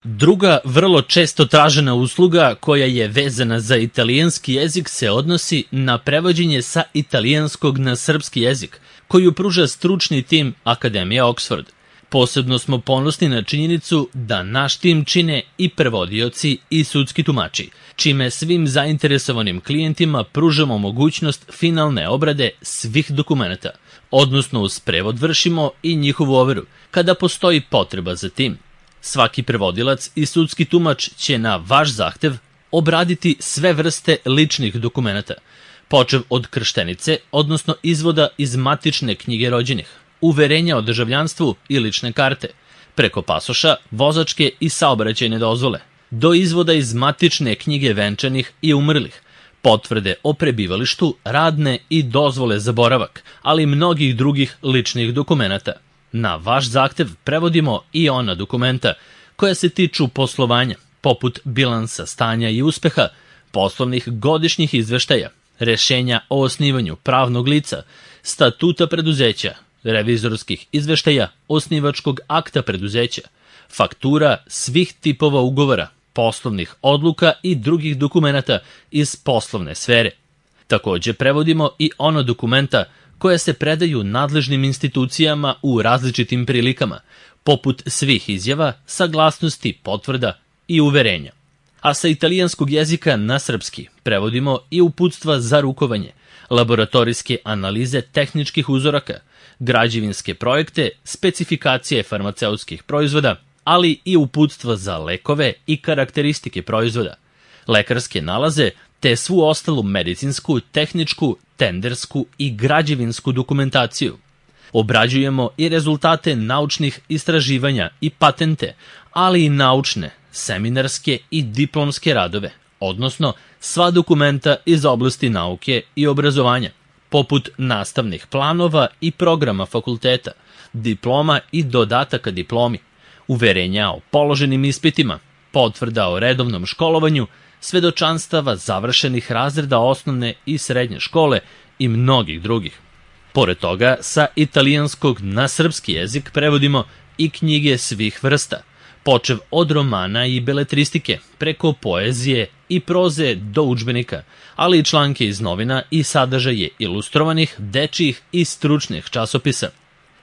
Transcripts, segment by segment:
Druga vrlo često tražena usluga koja je vezana za italijanski jezik se odnosi na prevođenje sa italijanskog na srpski jezik, koju pruža stručni tim Akademije Oxford. Posebno smo ponosni na činjenicu da naš tim čine i prevodioci i sudski tumači, čime svim zainteresovanim klijentima pružamo mogućnost finalne obrade svih dokumenata, odnosno uz prevod vršimo i njihovu overu, kada postoji potreba za tim. Svaki prevodilac i sudski tumač će na vaš zahtev obraditi sve vrste ličnih dokumenata, počev od krštenice, odnosno izvoda iz matične knjige rođenih, uverenja o državljanstvu i lične karte, preko pasoša, vozačke i saobraćajne dozvole, do izvoda iz matične knjige venčanih i umrlih, potvrde o prebivalištu, radne i dozvole za boravak, ali i mnogih drugih ličnih dokumenata. Na vaš zahtev prevodimo i ona dokumenta koja se tiču poslovanja, poput bilansa stanja i uspeha, poslovnih godišnjih izveštaja, rešenja o osnivanju pravnog lica, statuta preduzeća, revizorskih izveštaja, osnivačkog akta preduzeća, faktura svih tipova ugovora, poslovnih odluka i drugih dokumenata iz poslovne sfere. Takođe prevodimo i ona dokumenta koja se predaju nadležnim institucijama u različitim prilikama, poput svih izjava, saglasnosti, potvrda i uverenja. A sa italijanskog jezika na srpski prevodimo i uputstva za rukovanje, laboratorijske analize tehničkih uzoraka, građevinske projekte, specifikacije farmaceutskih proizvoda, ali i uputstva za lekove i karakteristike proizvoda, lekarske nalaze, te svu ostalu medicinsku, tehničku, tendersku i građevinsku dokumentaciju. Obrađujemo i rezultate naučnih istraživanja i patente, ali i naučne, seminarske i diplomske radove, odnosno sva dokumenta iz oblasti nauke i obrazovanja, poput nastavnih planova i programa fakulteta, diploma i dodataka diplomi, uverenja o položenim ispitima, potvrda o redovnom školovanju, svedočanstava završenih razreda osnovne i srednje škole i mnogih drugih. Pored toga, sa italijanskog na srpski jezik prevodimo i knjige svih vrsta, počev od romana i beletristike, preko poezije i proze do udžbenika, ali i članke iz novina i sadržaje ilustrovanih, dečijih i stručnih časopisa.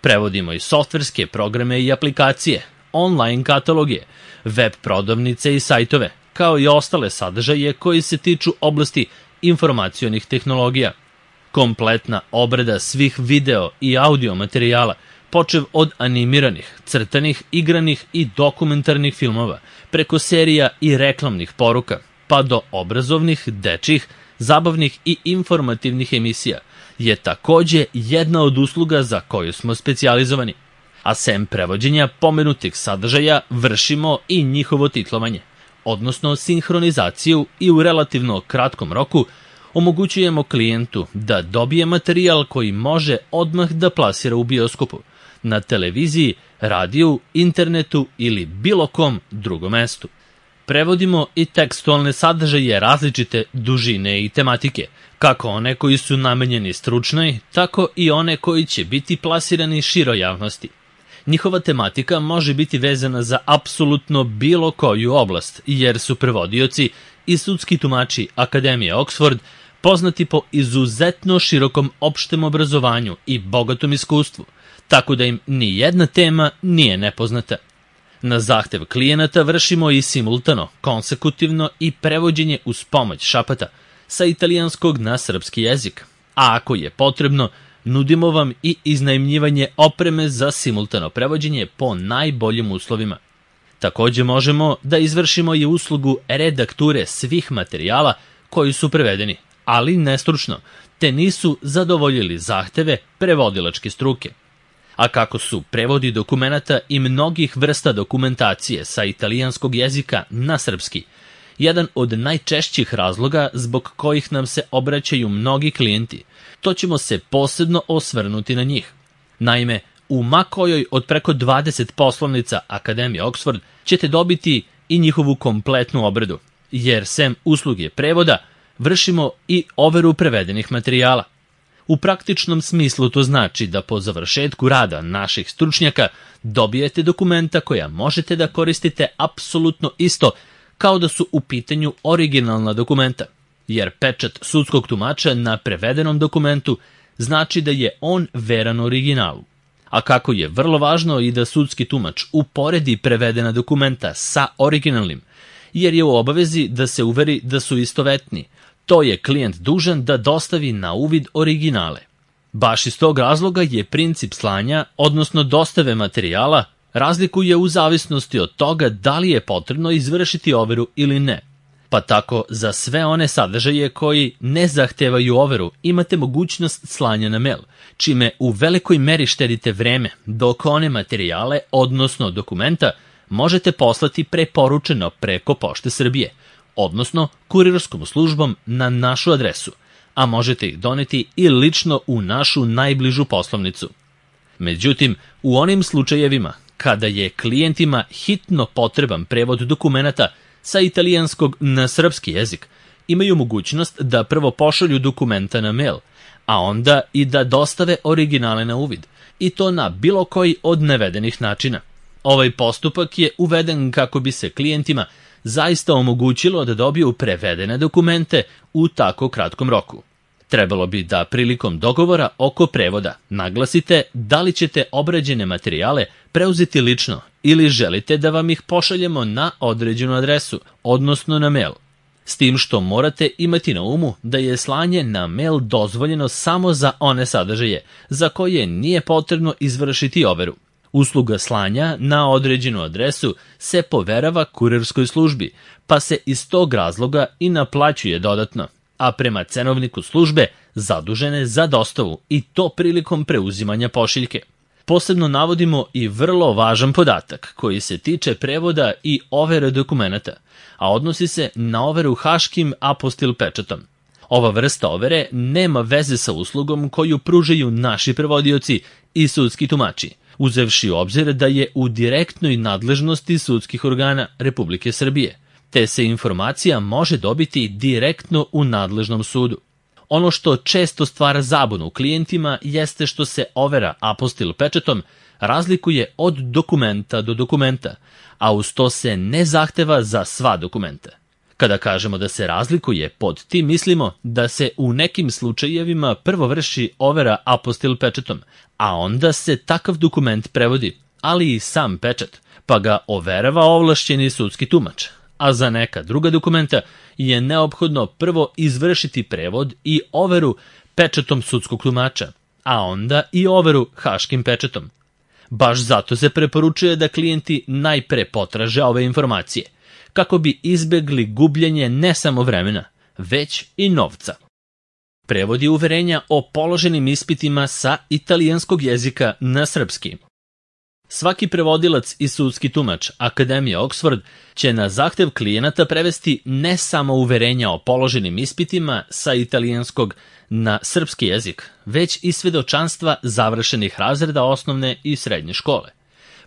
Prevodimo i softverske programe i aplikacije, online kataloge, web prodavnice i sajtove, kao i ostale sadržaje koji se tiču oblasti informacionih tehnologija. Kompletna obrada svih video i audio materijala, počev od animiranih, crtanih, igranih i dokumentarnih filmova, preko serija i reklamnih poruka, pa do obrazovnih, dečjih, zabavnih i informativnih emisija, je takođe jedna od usluga za koju smo specijalizovani. A sem prevođenja pomenutih sadržaja vršimo i njihovo titlovanje, odnosno sinhronizaciju, i u relativno kratkom roku omogućujemo klijentu da dobije materijal koji može odmah da plasira u bioskopu, na televiziji, radiju, internetu ili bilo kom drugom mestu. Prevodimo i tekstualne sadržaje različite dužine i tematike, kako one koji su namenjeni stručnoj, tako i one koji će biti plasirani široj javnosti. Njihova tematika može biti vezana za apsolutno bilo koju oblast, jer su prevodioci i sudski tumači Akademije Oxford poznati po izuzetno širokom opštem obrazovanju i bogatom iskustvu, tako da im ni jedna tema nije nepoznata. Na zahtev klijenata vršimo i simultano, konsekutivno i prevođenje uz pomoć šapata sa italijanskog na srpski jezik, a ako je potrebno, nudimo vam i iznajmljivanje opreme za simultano prevođenje po najboljim uslovima. Takođe možemo da izvršimo i uslugu redakture svih materijala koji su prevedeni, ali nestručno, te nisu zadovoljili zahteve prevodilačke struke. A kako su prevodi dokumenata i mnogih vrsta dokumentacije sa italijanskog jezika na srpski jedan od najčešćih razloga zbog kojih nam se obraćaju mnogi klijenti, to ćemo se posebno osvrnuti na njih. Naime, u makojoj od preko 20 poslovnica Akademije Oxford ćete dobiti i njihovu kompletnu obradu, jer sem usluge prevoda vršimo i overu prevedenih materijala. U praktičnom smislu to znači da po završetku rada naših stručnjaka dobijete dokumenta koja možete da koristite apsolutno isto kao da su u pitanju originalna dokumenta, jer pečat sudskog tumača na prevedenom dokumentu znači da je on veran originalu. A kako je vrlo važno i da sudski tumač uporedi prevedena dokumenta sa originalnim, jer je u obavezi da se uveri da su istovetni, to je klijent dužan da dostavi na uvid originale. Baš iz tog razloga je princip slanja, odnosno dostave materijala, razlikuje u zavisnosti od toga da li je potrebno izvršiti overu ili ne. Pa tako za sve one sadržaje koji ne zahtevaju overu imate mogućnost slanja na mail, čime u velikoj meri štedite vreme, dok one materijale, odnosno dokumenta, možete poslati preporučeno preko Pošte Srbije, odnosno kurirskom službom na našu adresu, a možete ih doneti i lično u našu najbližu poslovnicu. Međutim, u onim slučajevima kada je klijentima hitno potreban prevod dokumenata sa italijanskog na srpski jezik, imaju mogućnost da prvo pošalju dokumenta na mail, a onda i da dostave originale na uvid, i to na bilo koji od navedenih načina. Ovaj postupak je uveden kako bi se klijentima zaista omogućilo da dobiju prevedene dokumente u tako kratkom roku. Trebalo bi da prilikom dogovora oko prevoda naglasite da li ćete obrađene materijale preuzeti lično ili želite da vam ih pošaljemo na određenu adresu, odnosno na mail. S tim što morate imati na umu da je slanje na mail dozvoljeno samo za one sadržaje za koje nije potrebno izvršiti overu. Usluga slanja na određenu adresu se poverava kurirskoj službi, pa se iz tog razloga i naplaćuje dodatno, a prema cenovniku službe zadužene za dostavu, i to prilikom preuzimanja pošiljke. Posebno navodimo i vrlo važan podatak koji se tiče prevoda i overe dokumenata, a odnosi se na overu haškim apostil pečatom. Ova vrsta overe nema veze sa uslugom koju pružaju naši prevodioci i sudski tumači, uzevši u obzir da je u direktnoj nadležnosti sudskih organa Republike Srbije, te se informacija može dobiti direktno u nadležnom sudu. Ono što često stvara zabunu klijentima jeste što se overa apostil pečatom razlikuje od dokumenta do dokumenta, a uz to se ne zahteva za sva dokumenta. Kada kažemo da se razlikuje, pod tim mislimo da se u nekim slučajevima prvo vrši overa apostil pečatom, a onda se takav dokument prevodi, ali i sam pečat, pa ga overava ovlašćeni sudski tumač, a za neka druga dokumenta je neophodno prvo izvršiti prevod i overu pečatom sudskog tumača, a onda i overu haškim pečatom. Baš zato se preporučuje da klijenti najpre potraže ove informacije, kako bi izbegli gubljenje ne samo vremena, već i novca. Prevodi uverenja o položenim ispitima sa italijanskog jezika na srpski. Svaki prevodilac i sudski tumač Akademije Oxford će na zahtev klijenata prevesti ne samo uverenja o položenim ispitima sa italijanskog na srpski jezik, već i svedočanstva završenih razreda osnovne i srednje škole,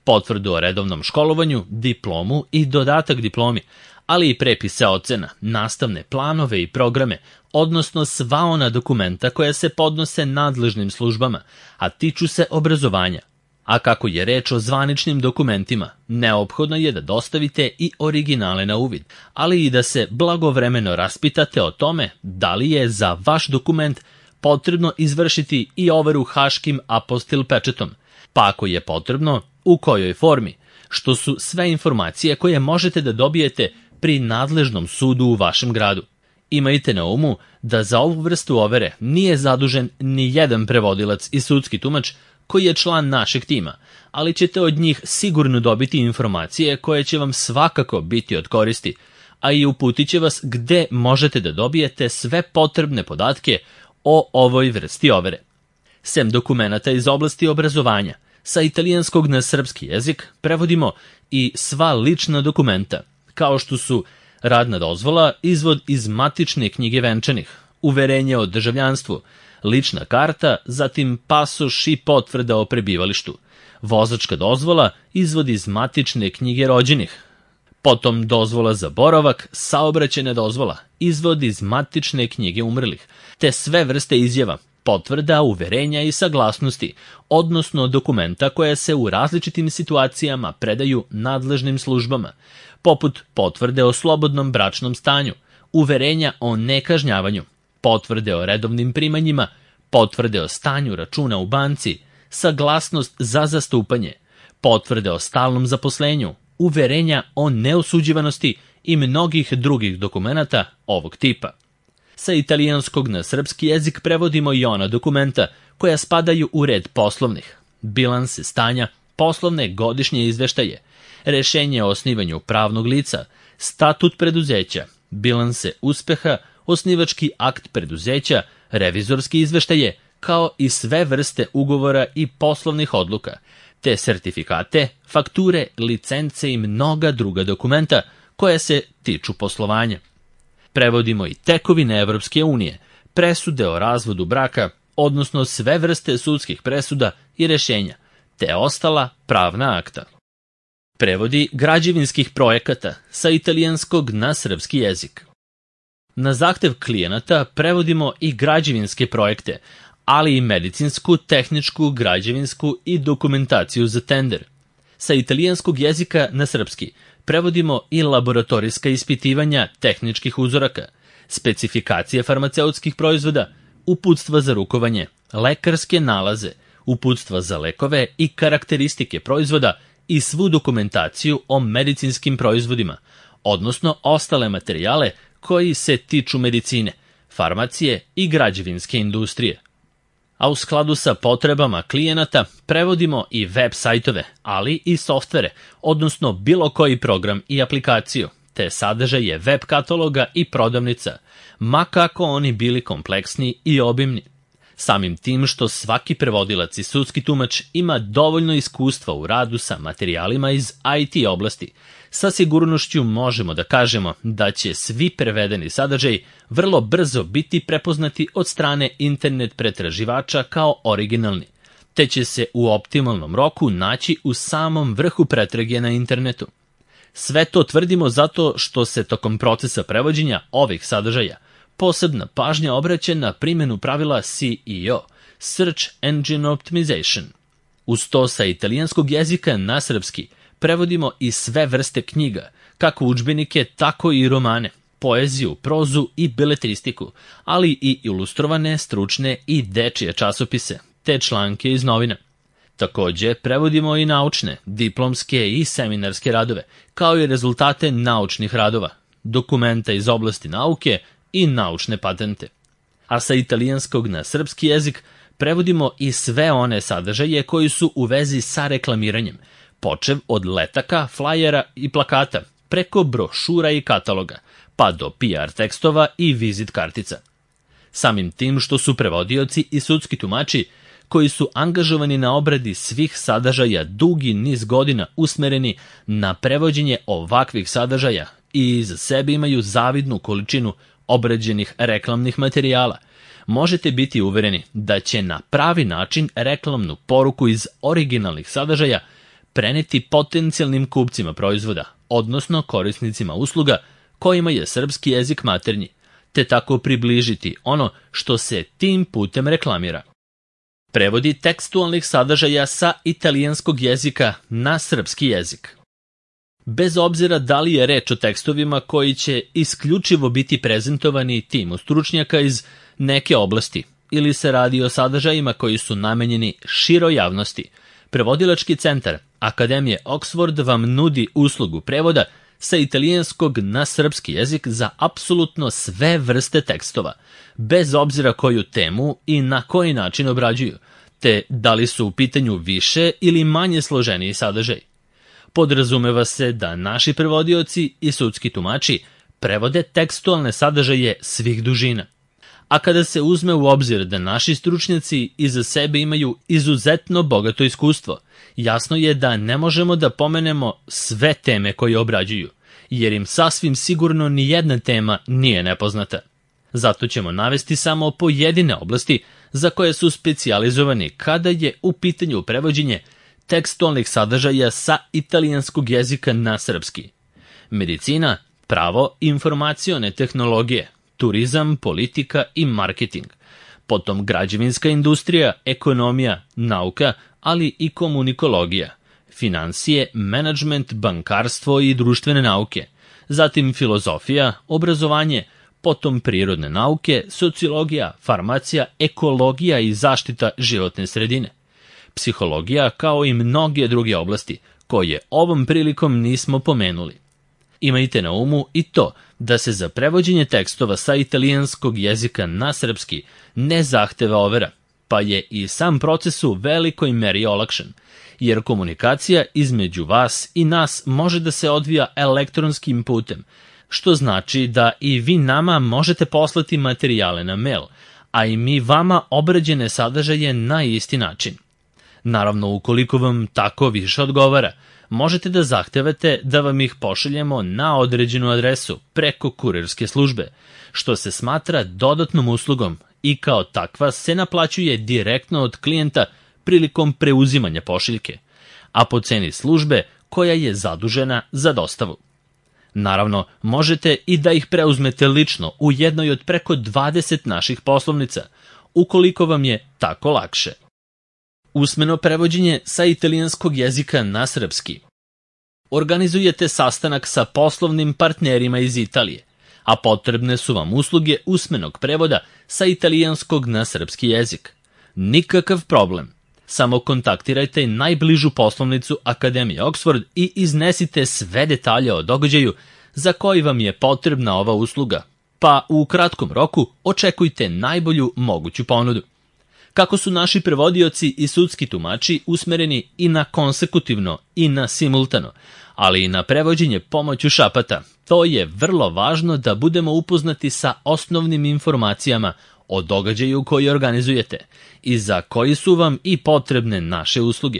potvrdu o redovnom školovanju, diplomu i dodatak diplomi, ali i prepise ocena, nastavne planove i programe, odnosno sva ona dokumenta koja se podnose nadležnim službama, a tiču se obrazovanja. A kako je reč o zvaničnim dokumentima, neophodno je da dostavite i originale na uvid, ali i da se blagovremeno raspitate o tome da li je za vaš dokument potrebno izvršiti i overu haškim apostil pečatom, pa ako je potrebno, u kojoj formi, što su sve informacije koje možete da dobijete pri nadležnom sudu u vašem gradu. Imajte na umu da za ovu vrstu overe nije zadužen ni jedan prevodilac i sudski tumač koji je član našeg tima, ali ćete od njih sigurno dobiti informacije koje će vam svakako biti od koristi, a i uputit će vas gde možete da dobijete sve potrebne podatke o ovoj vrsti overe. Sem dokumenata iz oblasti obrazovanja, sa italijanskog na srpski jezik prevodimo i sva lična dokumenta, kao što su radna dozvola, izvod iz matične knjige venčanih, uverenje o državljanstvu, lična karta, zatim pasoš i potvrda o prebivalištu, vozačka dozvola, izvod iz matične knjige rođenih, potom dozvola za boravak, saobraćajna dozvola, izvod iz matične knjige umrlih, te sve vrste izjava, potvrda, uverenja i saglasnosti, odnosno dokumenta koja se u različitim situacijama predaju nadležnim službama, poput potvrde o slobodnom bračnom stanju, uverenja o nekažnjavanju, potvrde o redovnim primanjima, potvrde o stanju računa u banci, saglasnost za zastupanje, potvrde o stalnom zaposlenju, uverenja o neosuđivanosti i mnogih drugih dokumenata ovog tipa. Sa italijanskog na srpski jezik prevodimo i ona dokumenta koja spadaju u red poslovnih, bilanse stanja, poslovne godišnje izveštaje, rešenje o osnivanju pravnog lica, statut preduzeća, bilanse uspeha, osnivački akt preduzeća, revizorski izveštaje, kao i sve vrste ugovora i poslovnih odluka, te sertifikate, fakture, licence i mnoga druga dokumenta koja se tiču poslovanja. Prevodimo i tekovine Evropske unije, presude o razvodu braka, odnosno sve vrste sudskih presuda i rešenja, te ostala pravna akta. Prevodi građevinskih projekata sa italijanskog na srpski jezik. Na zahtev klijenata prevodimo i građevinske projekte, ali i medicinsku, tehničku, građevinsku i dokumentaciju za tender. Sa italijanskog jezika na srpski prevodimo i laboratorijska ispitivanja tehničkih uzoraka, specifikacije farmaceutskih proizvoda, uputstva za rukovanje, lekarske nalaze, uputstva za lekove i karakteristike proizvoda i svu dokumentaciju o medicinskim proizvodima, odnosno ostale materijale koji se tiču medicine, farmacije i građevinske industrije. A u skladu sa potrebama klijenata prevodimo i web sajtove, ali i softvere, odnosno bilo koji program i aplikaciju, te sadržaje web kataloga i prodavnica, ma kako oni bili kompleksni i obimni. Samim tim što svaki prevodilac i sudski tumač ima dovoljno iskustva u radu sa materijalima iz IT oblasti, sa sigurnošću možemo da kažemo da će svi prevedeni sadržaji vrlo brzo biti prepoznati od strane internet pretraživača kao originalni, te će se u optimalnom roku naći u samom vrhu pretrage na internetu. Sve to tvrdimo zato što se tokom procesa prevođenja ovih sadržaja posebna pažnja obraća na primjenu pravila SEO, Search Engine Optimization. Uz to sa italijanskog jezika na srpski prevodimo i sve vrste knjiga, kako udžbenike, tako i romane, poeziju, prozu i beletristiku, ali i ilustrovane, stručne i dečije časopise, te članke iz novina. Takođe, prevodimo i naučne, diplomske i seminarske radove, kao i rezultate naučnih radova, dokumenta iz oblasti nauke i naučne patente. A sa italijanskog na srpski jezik prevodimo i sve one sadržaje koji su u vezi sa reklamiranjem, počev od letaka, flajera i plakata, preko brošura i kataloga, pa do PR tekstova i vizit kartica. Samim tim što su prevodioci i sudski tumači, koji su angažovani na obradi svih sadržaja dugi niz godina usmereni na prevođenje ovakvih sadržaja i iza sebe imaju zavidnu količinu obrađenih reklamnih materijala, možete biti uvereni da će na pravi način reklamnu poruku iz originalnih sadržaja preneti potencijalnim kupcima proizvoda, odnosno korisnicima usluga kojima je srpski jezik maternji, te tako približiti ono što se tim putem reklamira. Prevodi tekstualnih sadržaja sa italijanskog jezika na srpski jezik. Bez obzira da li je reč o tekstovima koji će isključivo biti prezentovani timu stručnjaka iz neke oblasti ili se radi o sadržajima koji su namenjeni široj javnosti, Prevodilački centar Akademije Oxford vam nudi uslugu prevoda sa italijanskog na srpski jezik za apsolutno sve vrste tekstova, bez obzira koju temu i na koji način obrađuju, te da li su u pitanju više ili manje složeniji sadržaj. Podrazumeva se da naši prevodioci i sudski tumači prevode tekstualne sadržaje svih dužina. A kada se uzme u obzir da naši stručnjaci iza sebe imaju izuzetno bogato iskustvo, jasno je da ne možemo da pomenemo sve teme koje obrađuju, jer im sasvim sigurno ni jedna tema nije nepoznata. Zato ćemo navesti samo pojedine oblasti za koje su specijalizovani kada je u pitanju prevođenje tekstualnih sadržaja sa italijanskog jezika na srpski. Medicina, pravo, informacione tehnologije, turizam, politika i marketing, potom građevinska industrija, ekonomija, nauka, ali i komunikologija, finansije, menadžment, bankarstvo i društvene nauke, zatim filozofija, obrazovanje, potom prirodne nauke, sociologija, farmacija, ekologija i zaštita životne sredine, psihologija kao i mnoge druge oblasti, koje ovom prilikom nismo pomenuli. Imajte na umu i to da se za prevođenje tekstova sa italijanskog jezika na srpski ne zahteva overa, pa je i sam proces u velikoj meri olakšan, jer komunikacija između vas i nas može da se odvija elektronskim putem, što znači da i vi nama možete poslati materijale na mail, a i mi vama obrađene sadržaje na isti način. Naravno, ukoliko vam tako više odgovara, možete da zahtevate da vam ih pošaljemo na određenu adresu preko kurirske službe, što se smatra dodatnom uslugom i kao takva se naplaćuje direktno od klijenta prilikom preuzimanja pošiljke, a po ceni službe koja je zadužena za dostavu. Naravno, možete i da ih preuzmete lično u jednoj od preko 20 naših poslovnica, ukoliko vam je tako lakše. Usmeno prevođenje sa italijanskog jezika na srpski. Organizujete sastanak sa poslovnim partnerima iz Italije, a potrebne su vam usluge usmenog prevoda sa italijanskog na srpski jezik. Nikakav problem. Samo kontaktirajte najbližu poslovnicu Akademije Oxford i iznesite sve detalje o događaju za koji vam je potrebna ova usluga, pa u kratkom roku očekujte najbolju moguću ponudu. Kako su naši prevodioci i sudski tumači usmereni i na konsekutivno i na simultano, ali i na prevođenje pomoću šapata, to je vrlo važno da budemo upoznati sa osnovnim informacijama o događaju koji organizujete i za koji su vam i potrebne naše usluge,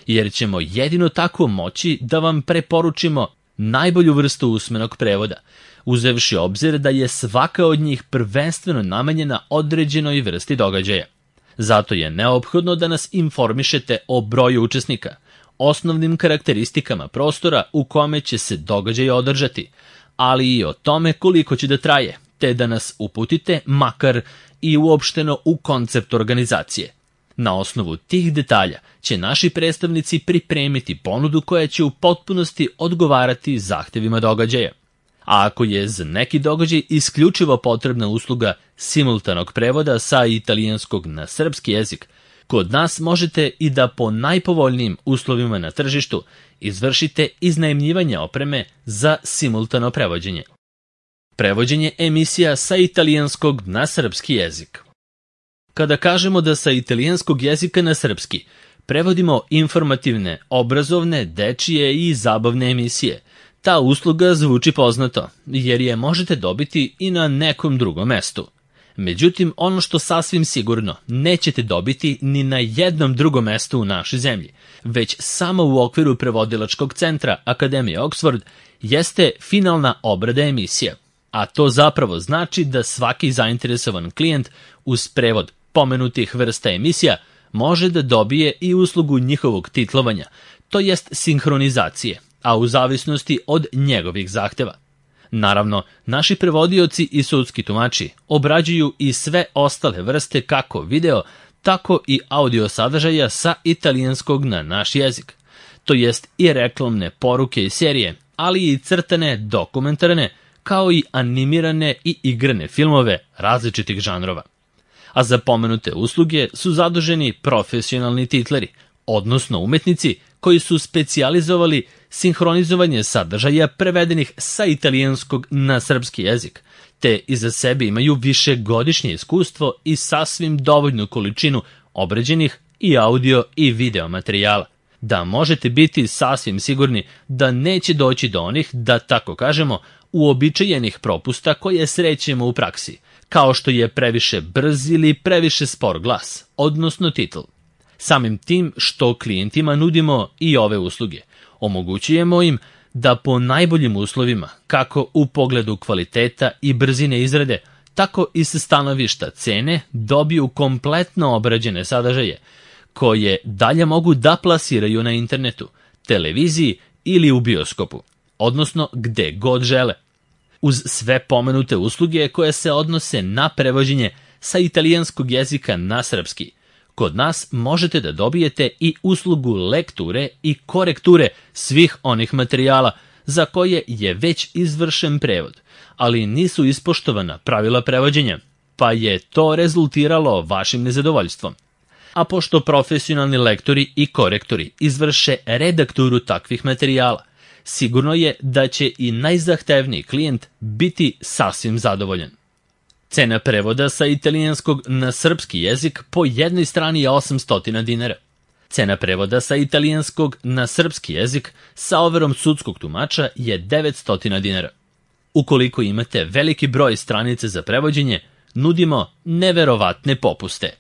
jer ćemo jedino tako moći da vam preporučimo najbolju vrstu usmenog prevoda, uzevši obzir da je svaka od njih prvenstveno namenjena određenoj vrsti događaja. Zato je neophodno da nas informišete o broju učesnika, osnovnim karakteristikama prostora u kome će se događaj održati, ali i o tome koliko će da traje, te da nas uputite makar i uopšteno u koncept organizacije. Na osnovu tih detalja će naši predstavnici pripremiti ponudu koja će u potpunosti odgovarati zahtevima događaja. A ako je za neki događaj isključivo potrebna usluga simultanog prevoda sa italijanskog na srpski jezik, kod nas možete i da po najpovoljnijim uslovima na tržištu izvršite iznajmljivanje opreme za simultano prevođenje. Prevođenje emisija sa italijanskog na srpski jezik. Kada kažemo da sa italijanskog jezika na srpski prevodimo informativne, obrazovne, dečije i zabavne emisije, ta usluga zvuči poznato, jer je možete dobiti i na nekom drugom mestu. Međutim, ono što sasvim sigurno nećete dobiti ni na jednom drugom mestu u našoj zemlji, već samo u okviru prevodilačkog centra Akademije Oxford, jeste finalna obrada emisija. A to zapravo znači da svaki zainteresovan klijent uz prevod pomenutih vrsta emisija može da dobije i uslugu njihovog titlovanja, to jest sinhronizacije, a u zavisnosti od njegovih zahteva. Naravno, naši prevodioci i sudski tumači obrađuju i sve ostale vrste kako video, tako i audio sadržaja sa italijanskog na naš jezik, to jest i reklamne poruke i serije, ali i crtane, dokumentarne, kao i animirane i igrane filmove različitih žanrova. A za pomenute usluge su zaduženi profesionalni titleri, odnosno umetnici koji su specijalizovali sinhronizovanje sadržaja prevedenih sa italijanskog na srpski jezik, te iza sebe imaju višegodišnje iskustvo i sasvim dovoljnu količinu obrađenih i audio i video materijala, da možete biti sasvim sigurni da neće doći do onih, da tako kažemo, uobičajenih propusta koje srećemo u praksi, kao što je previše brz ili previše spor glas, odnosno titl. Samim tim što klijentima nudimo i ove usluge, omogućujemo im da po najboljim uslovima, kako u pogledu kvaliteta i brzine izrade, tako i sa stanovišta cene, dobiju kompletno obrađene sadržaje, koje dalje mogu da plasiraju na internetu, televiziji ili u bioskopu, odnosno gde god žele. Uz sve pomenute usluge koje se odnose na prevođenje sa italijanskog jezika na srpski. Kod nas možete da dobijete i uslugu lekture i korekture svih onih materijala za koje je već izvršen prevod, ali nisu ispoštovana pravila prevođenja, pa je to rezultiralo vašim nezadovoljstvom. A pošto profesionalni lektori i korektori izvrše redakturu takvih materijala, sigurno je da će i najzahtevniji klijent biti sasvim zadovoljan. Cena prevoda sa italijanskog na srpski jezik po jednoj strani je 800 dinara. Cena prevoda sa italijanskog na srpski jezik sa overom sudskog tumača je 900 dinara. Ukoliko imate veliki broj stranica za prevođenje, nudimo neverovatne popuste.